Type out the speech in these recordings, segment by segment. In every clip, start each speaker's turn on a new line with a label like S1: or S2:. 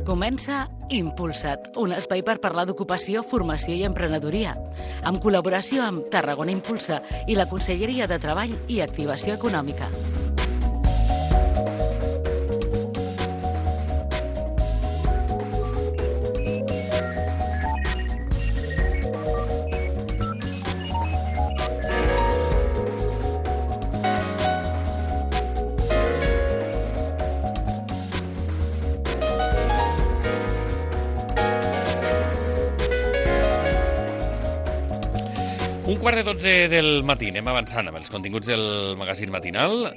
S1: Comença Impulsa't, un espai per parlar d'ocupació, formació i emprenedoria, amb col·laboració amb Tarragona Impulsa i la Conselleria de Treball i Activació Econòmica.
S2: Un quart de 12 del matí, anem avançant amb els continguts del magazín matinal,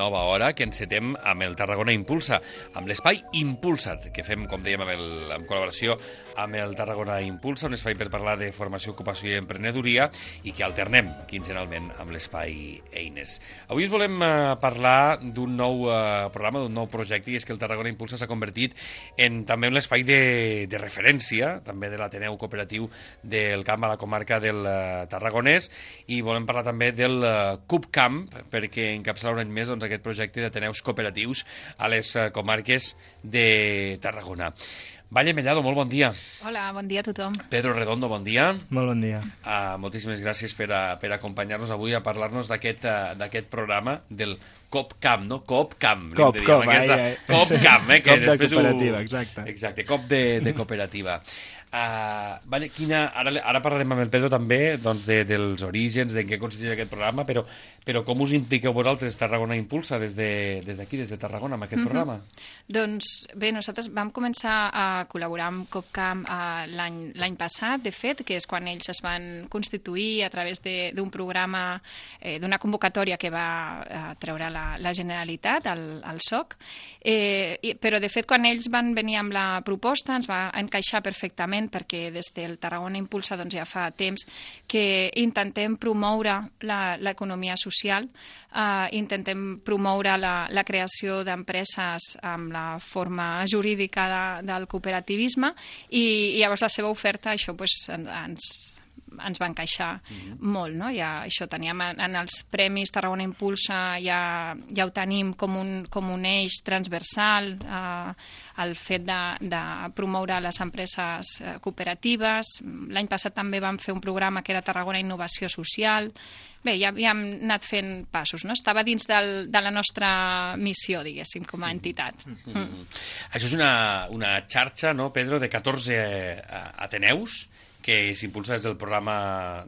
S2: nova hora que encetem amb el Tarragona Impulsa, amb l'espai Impulsa't, que fem, com dèiem, en col·laboració amb el Tarragona Impulsa, un espai per parlar de formació, ocupació i emprenedoria, i que alternem quinzenalment amb l'espai Eines. Avui us volem parlar d'un nou programa, d'un nou projecte, i és que el Tarragona Impulsa s'ha convertit en també un espai de referència, també de l'Ateneu Cooperatiu del Camp a la comarca del Tarragonès, i volem parlar també del CUPCamp, perquè encapçala un any més aquest projecte d'Ateneus cooperatius a les comarques de Tarragona. Valle Mellado, molt bon dia.
S3: Hola, bon dia a tothom.
S2: Pedro Redondo, bon dia.
S4: Molt bon dia.
S2: Moltíssimes gràcies per acompanyar-nos avui a parlar-nos d'aquest programa del COPCamp, no? COPCamp.
S4: COPCamp,
S2: COPCamp, que
S4: cop de cooperativa, exacte.
S2: Exacte, cop de cooperativa. Ara parlarem amb el Pedro també dels orígens, de què consisteix aquest programa, però com us impliqueu vosaltres, Tarragona Impulsa, des d'aquí, des de Tarragona, amb aquest programa?
S3: Doncs bé, nosaltres vam començar a col·laborar amb COPCamp l'any passat, de fet, que és quan ells es van constituir a través d'un programa, d'una convocatòria que va treure la Generalitat, el SOC, però de fet quan ells van venir amb la proposta ens va encaixar perfectament, perquè des del Tarragona Impulsa ja fa temps que intentem promoure l'economia social, intentem promoure la creació d'empreses amb la forma jurídica del cooperativisme, i llavors la seva oferta, això ens va encaixar molt, no? Ja, això teníem en els premis Tarragona Impulsa, ja ho tenim com un eix transversal, el fet de promoure les empreses cooperatives. L'any passat també vam fer un programa que era Tarragona Innovació Social. Bé, ja havíem anat fent passos, no? Estava dins de la nostra missió, diguéssim, com a entitat.
S2: Això és una xarxa, no, Pedro, de 14 ateneus que s'impulsa des d'un programa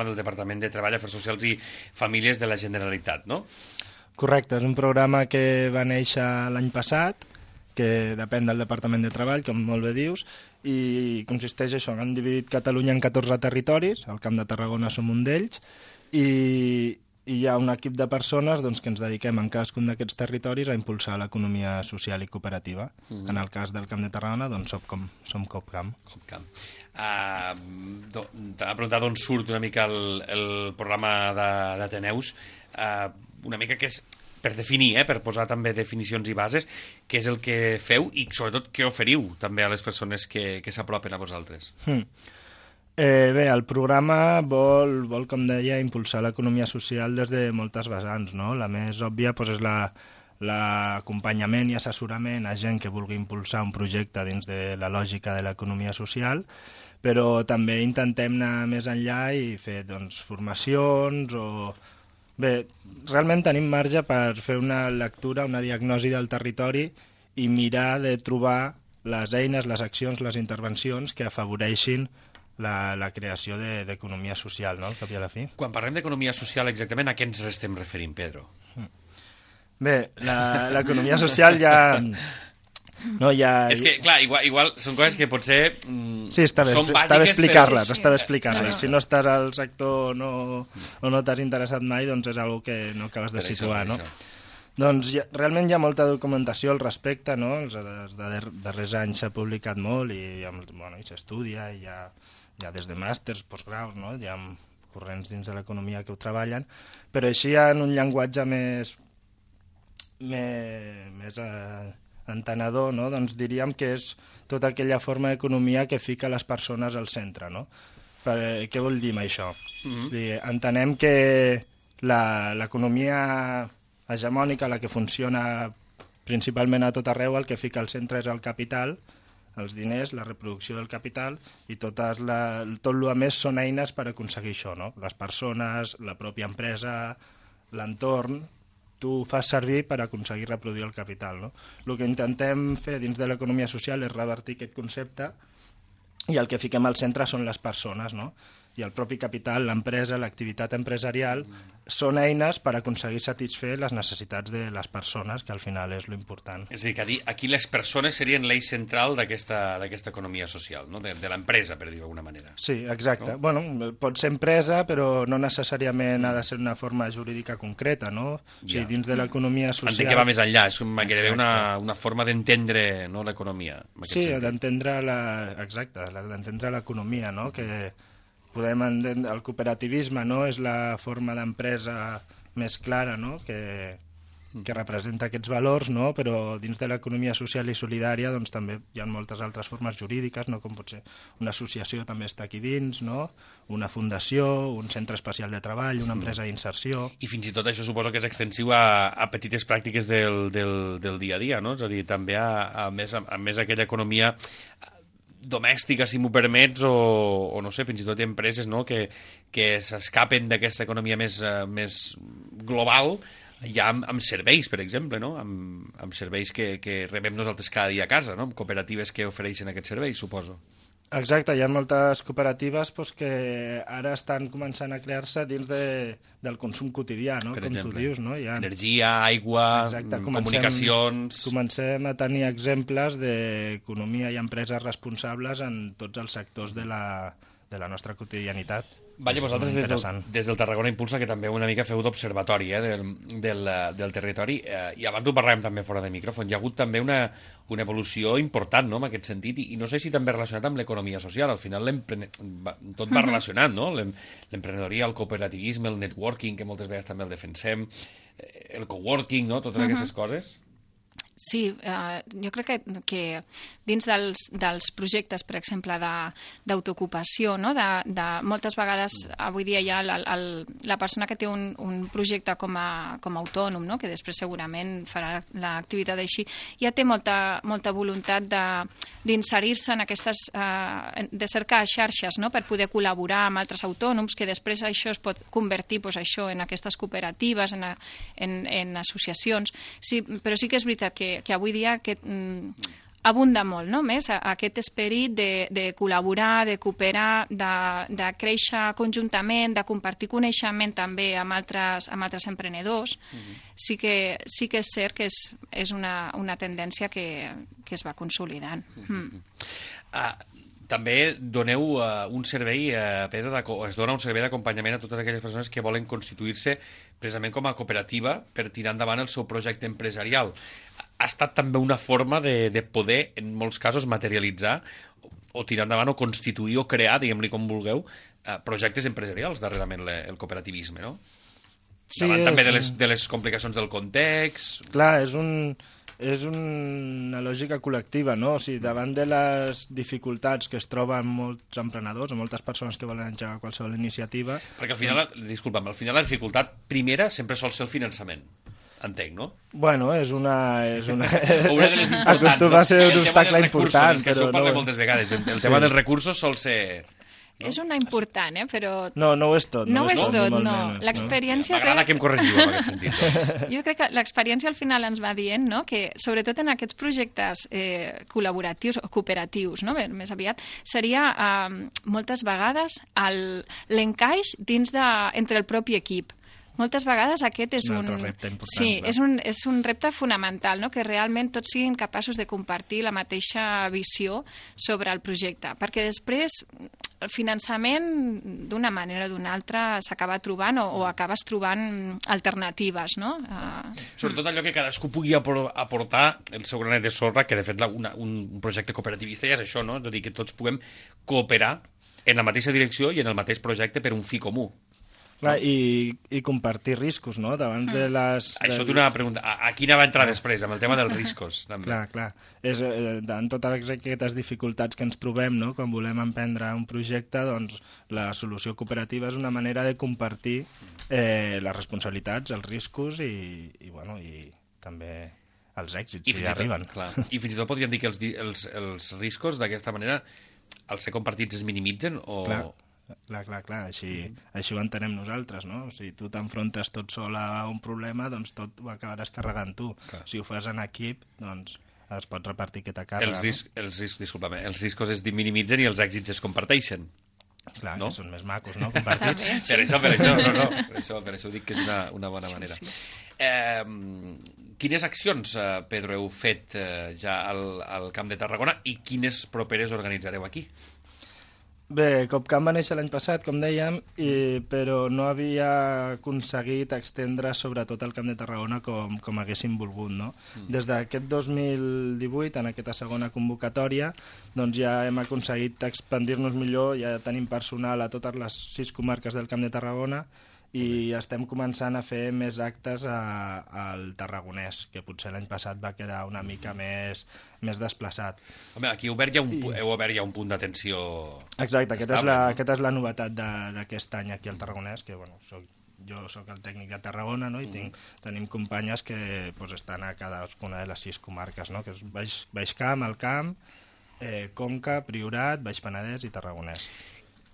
S2: del Departament de Treball, Afers Socials i Famílies de la Generalitat, no?
S4: Correcte, és un programa que va néixer l'any passat, que depèn del Departament de Treball, com molt bé dius, i consisteix això, han dividit Catalunya en 14 territoris, el Camp de Tarragona som un d'ells, i hi ha un equip de persones que ens dediquem en cadascun d'aquests territoris a impulsar l'economia social i cooperativa. En el cas del Camp de Tarragona, som COPCamp.
S2: T'ha preguntat d'on surt una mica el programa d'Ateneus, una mica que és per definir, per posar també definicions i bases, què és el que feu i sobretot què oferiu també a les persones que s'apropen a vosaltres.
S4: Bé, el programa vol, com deia, impulsar l'economia social des de moltes vessants, no? La més òbvia és l'acompanyament i assessorament a gent que vulgui impulsar un projecte dins de la lògica de l'economia social, però també intentem anar més enllà i fer formacions o... Bé, realment tenim marge per fer una lectura, una diagnosi del territori i mirar de trobar les eines, les accions, les intervencions que afavoreixin la creació d'economia social, no?, al cap i a la fi.
S2: Quan parlem d'economia social, exactament a què ens estem referint, Pedro?
S4: Bé, l'economia social ja... No, ja...
S2: És que, clar, igual són coses que potser
S4: sí, està bé explicar-les, Si no estàs al sector o no t'has interessat mai, doncs és una que no acabes de situar, no? Doncs realment hi ha molta documentació al respecte, no? Els darrers anys s'ha publicat molt i s'estudia, i hi ha des de màsters, postgraus, no? Hi ha corrents dins de l'economia que ho treballen, però així en un llenguatge més entenedor, no? Doncs diríem que és tota aquella forma d'economia que fica les persones al centre, no? Què vol dir amb això? Entenem que l'economia hegemònica, la que funciona principalment a tot arreu el que fica al centre és el capital, els diners, la reproducció del capital, i tot el més són eines per aconseguir això, no? Les persones, la pròpia empresa, l'entorn, tu fas servir per aconseguir reproduir el capital, no? El que intentem fer dins de l'economia social és revertir aquest concepte, i el que fiquem al centre són les persones, no? I el propi capital, l'empresa, l'activitat empresarial, són eines per aconseguir satisfer les necessitats de les persones, que al final és l'important.
S2: És a dir, que aquí les persones serien l'eix central d'aquesta economia social, no? De l'empresa, per dir-ho d'alguna manera.
S4: Sí, exacte.
S2: No?
S4: Bueno, pot ser empresa, però no necessàriament ha de ser una forma jurídica concreta, no? O sigui, dins de l'economia social...
S2: Entenc que va més enllà, és gairebé una forma d'entendre, no, l'economia.
S4: Sí, d'entendre l'economia, no? Que podem entendre el cooperativisme, no? És la forma d'empresa més clara, no? Que representa aquests valors, no? Però dins de l'economia social i solidària doncs, també hi ha moltes altres formes jurídiques, no? Com pot ser una associació també està aquí dins, no? Una fundació, un centre especial de treball, una empresa d'inserció...
S2: I fins i tot això suposo que és extensiu a petites pràctiques del dia a dia, no? És a dir, també a més aquella economia domèstica, si m'ho permets, o no sé, fins i tot empreses, no? que s'escapen d'aquesta economia més global, ja amb serveis, per exemple, no? Amb serveis que rebem nosaltres cada dia a casa, no? Amb cooperatives que ofereixen aquests serveis, suposo.
S4: Exacte, hi ha moltes cooperatives que ara estan començant a crear-se dins del consum quotidià, no? Com tu dius, no?
S2: Energia, aigua, comunicacions...
S4: Comencem a tenir exemples d'economia i empreses responsables en tots els sectors de la nostra quotidianitat.
S2: Vaja, vosaltres des del Tarragona Impulsa, que també una mica feu d'observatori del territori, i abans ho parlàvem també fora de micròfon, hi ha hagut també una evolució important, no?, en aquest sentit, i no sé si també relacionat amb l'economia social. Al final tot va relacionat, no? L'emprenedoria, el cooperativisme, el networking, que moltes vegades també el defensem, el coworking, no?, totes aquestes coses.
S3: Sí, jo crec que dins dels projectes, per exemple, d'autoocupació, no? de moltes vegades avui dia hi ha la persona que té un projecte com a autònom, no? Que després segurament farà l'activitat així, ja té molta voluntat d'inserir-se en aquestes... de cercar xarxes, no? Per poder col·laborar amb altres autònoms, que després això es pot convertir en aquestes cooperatives, en associacions. Sí, però sí que és veritat que avui dia abunda molt, no? Més aquest esperit de col·laborar, de cooperar, de créixer conjuntament, de compartir coneixement també amb altres emprenedors. Sí que és cert que és una tendència que es va consolidant.
S2: També doneu un servei, Pedro, es dona un servei d'acompanyament a totes aquelles persones que volen constituir-se precisament com a cooperativa per tirar endavant el seu projecte empresarial. Ha estat també una forma de poder, en molts casos, materialitzar o tirar endavant o constituir o crear, diguem-li com vulgueu, projectes empresarials darrerament el cooperativisme, no? Sí, davant també de les complicacions del context...
S4: Clar, és una lògica col·lectiva, no? O sigui, davant de les dificultats que es troben molts emprenedors o moltes persones que volen engegar qualsevol iniciativa...
S2: Perquè al final, disculpa'm, al final la dificultat primera sempre sol ser el finançament. Entenc, no?
S4: Bueno, és una
S2: una de les importants.
S4: Acostuma a ser un obstacle important.
S2: És que això ho parlem moltes vegades. El tema dels recursos sol ser...
S3: No? És una important, però...
S4: No ho és tot.
S3: No ho és tot, no. L'experiència...
S2: M'agrada que em corregiu en aquest sentit. Doncs.
S3: Jo crec que l'experiència al final ens va dient, no?, que sobretot en aquests projectes col·laboratius o cooperatius, no?, més aviat, seria moltes vegades l'encaix entre el propi equip. Moltes vegades aquest és un
S4: repte important.
S3: Sí, és un repte fonamental, no?, que realment tots siguin capaços de compartir la mateixa visió sobre el projecte, perquè després el finançament d'una manera o d'una altra s'acaba trobant o acabes trobant alternatives, no?
S2: Sobretot allò que cadascú pugui aportar el seu granet de sorra, que de fet un projecte cooperativista ja és això, no? És a dir, que tots puguem cooperar en la mateixa direcció i en el mateix projecte per un fi comú.
S4: Clar, i compartir riscos, no? Davant de les...
S2: Això té una pregunta. A quina va entrar després, amb el tema dels riscos? També.
S4: Clar. Davant totes aquestes dificultats que ens trobem, no?, quan volem emprendre un projecte, doncs la solució cooperativa és una manera de compartir les responsabilitats, els riscos i també els èxits, si arriben.
S2: Clar. I fins i tot podríem dir que els riscos d'aquesta manera, al ser compartits, es minimitzen? O...
S4: Clar. Així ho entenem nosaltres, no? Si tu t'enfrontes tot sol a un problema, doncs tot ho acabaràs carregant tu. Clar. Si ho fas en equip, doncs es pot repartir aquesta càrrega.
S2: Els riscos es minimitzen i els èxits es comparteixen.
S4: Clar,
S2: no?
S4: Que són més macos, no?, compartits.
S2: Per això dic que és una bona manera. Sí. Quines accions, Pedro, heu fet ja al Camp de Tarragona i quines properes organitzareu aquí?
S4: Bé, COPCAM va néixer l'any passat, com dèiem, però no havia aconseguit extendre sobretot el Camp de Tarragona com haguéssim volgut, no? Des d'aquest 2018, en aquesta segona convocatòria, doncs ja hem aconseguit expandir-nos millor, ja tenim personal a totes les 6 comarques del Camp de Tarragona i estem començant a fer més actes al tarragonès, que potser l'any passat va quedar una mica més desplaçat.
S2: Home, aquí heu obert ja un punt d'atenció.
S4: Exacte, aquesta és la novetat d'aquest any aquí al Tarragonès, que bueno, jo soc el tècnic de Tarragona, no? I tenim companyes que estan a cadascuna de les 6 comarques, no? Que és Baix Camp, Alt Camp, Conca, Priorat, Baix Penedès i Tarragonès.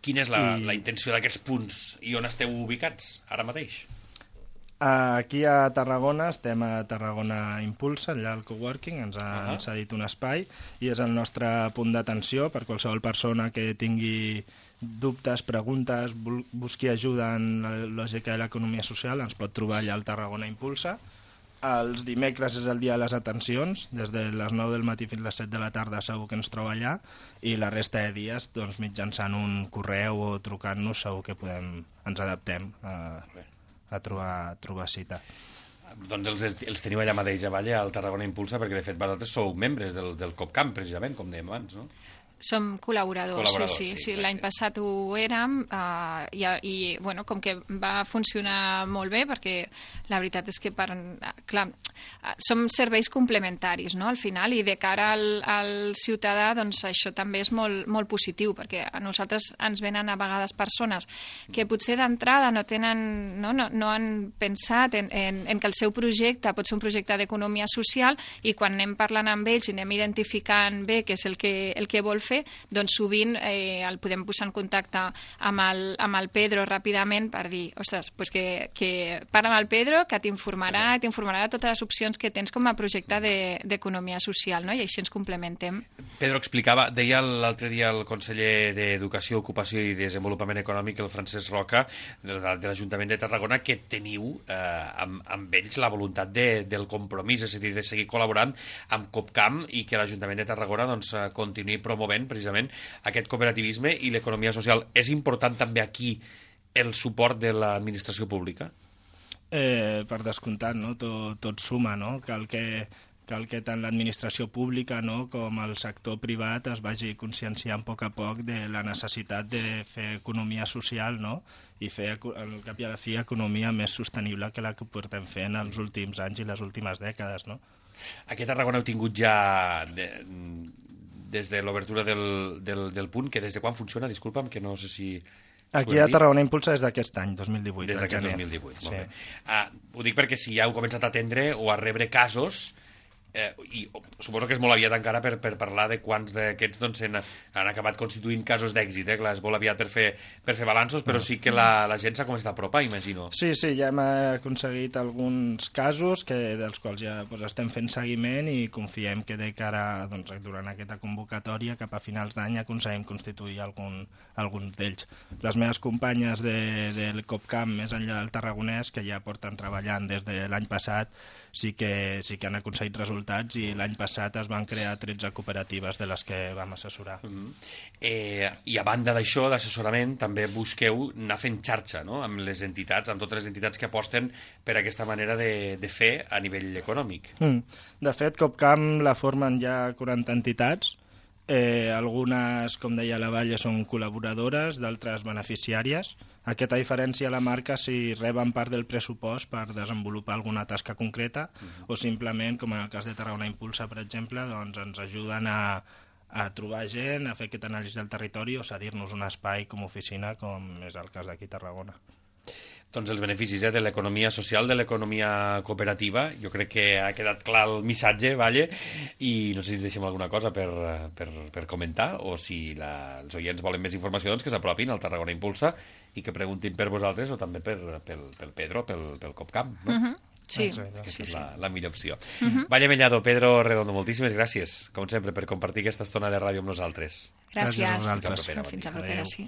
S2: Quina és la intenció d'aquests punts i on esteu ubicats ara mateix?
S4: Aquí a Tarragona estem a Tarragona Impulsa, allà al coworking, ens ha cedit un espai i és el nostre punt d'atenció per qualsevol persona que tingui dubtes, preguntes, busqui ajuda en la lògica de l'economia social, ens pot trobar allà al Tarragona Impulsa. Els dimecres és el dia de les atencions, des de les 9 del matí fins a les 7 de la tarda segur que ens troba allà, i la resta de dies, doncs, mitjançant un correu o trucant-nos, segur que ens adaptem a trobar cita.
S2: Doncs els teniu allà mateix, a Valle, al Tarragona Impulsa, perquè de fet vosaltres sou membres del COPCAM, precisament, com dèiem abans, no?
S3: Som col·laboradors, sí. L'any passat ho érem i bueno, com que va funcionar molt bé, perquè la veritat és que clar, som serveis complementaris, no?, al final, i de cara al ciutadà, doncs això també és molt, molt positiu, perquè a nosaltres ens venen a vegades persones que potser d'entrada no han pensat en que el seu projecte pot ser un projecte d'economia social, i quan anem parlant amb ells i anem identificant bé què és el que vol fer, doncs sovint el podem posar en contacte amb el Pedro ràpidament per dir, ostres, pues que parla amb el Pedro, que t'informarà de totes les opcions que tens com a projecte d'economia social, no? I així ens complementem.
S2: Pedro deia l'altre dia el conseller d'Educació, Ocupació i Desenvolupament Econòmic, el Francesc Roca, de l'Ajuntament de Tarragona, que teniu amb ells la voluntat del compromís, és a dir, de seguir col·laborant amb COPCAM i que l'Ajuntament de Tarragona doncs, continuï promovent precisament aquest cooperativisme i l'economia social. És important també aquí el suport de l'administració pública?
S4: Per descomptat, no? Tot suma, no? Cal que tant l'administració pública, no, com el sector privat es vagi conscienciant a poc de la necessitat de fer economia social, no?, i fer, al cap i a la fi, economia més sostenible que la que portem fent els últims anys i les últimes dècades, no?
S2: Aquí a Tarragona heu tingut ja des de l'obertura del punt, que des de quan funciona? Disculpa'm, que no sé si...
S4: Aquí a Tarragona Impulsa és d'aquest any, 2018.
S2: Des d'aquest 2018, molt bé. Ho dic perquè si ja heu començat a atendre o a rebre casos, i suposo que és molt aviat encara per parlar de quants d'aquests doncs, han acabat constituint casos d'èxit, clar, és molt aviat per fer balanços, però sí que la gent s'ha començat a apropar, imagino.
S4: Sí, ja hem aconseguit alguns casos dels quals ja estem fent seguiment i confiem que de cara durant aquesta convocatòria cap a finals d'any aconseguim constituir algun d'ells. Les meves companyes del COPCAM més enllà del Tarragonès, que ja porten treballant des de l'any passat, sí que han aconseguit resultats, i l'any passat es van crear 13 cooperatives de les que vam assessorar.
S2: I a banda d'això, d'assessorament, també busqueu anar fent xarxa, no?, amb les entitats, amb totes les entitats que aposten per aquesta manera de fer a nivell econòmic.
S4: De fet, COPCAM la formen ja 40 entitats. Algunes, com deia la Valle, són col·laboradores, d'altres beneficiàries. Aquesta diferència la marca si reben part del pressupost per desenvolupar alguna tasca concreta o simplement, com en el cas de Tarragona Impulsa, per exemple, doncs ens ajuden a trobar gent, a fer aquest anàlisi del territori o cedir-nos un espai com a oficina, com és el cas d'aquí a Tarragona.
S2: Doncs els beneficis de l'economia social, de l'economia cooperativa. Jo crec que ha quedat clar el missatge, Valle, i no sé si ens deixem alguna cosa per comentar, o si els oients volen més informació, doncs que s'apropin al Tarragona Impulsa i que preguntin per vosaltres o també pel Pedro, pel Copcamp, no?
S3: Sí,
S2: Aquesta és la millor opció. Valle Mellado, Pedro Redondo, moltíssimes gràcies, com sempre, per compartir aquesta estona de ràdio amb nosaltres.
S3: Gràcies.
S4: Gràcies a vosaltres.
S3: Fins a propera, sí.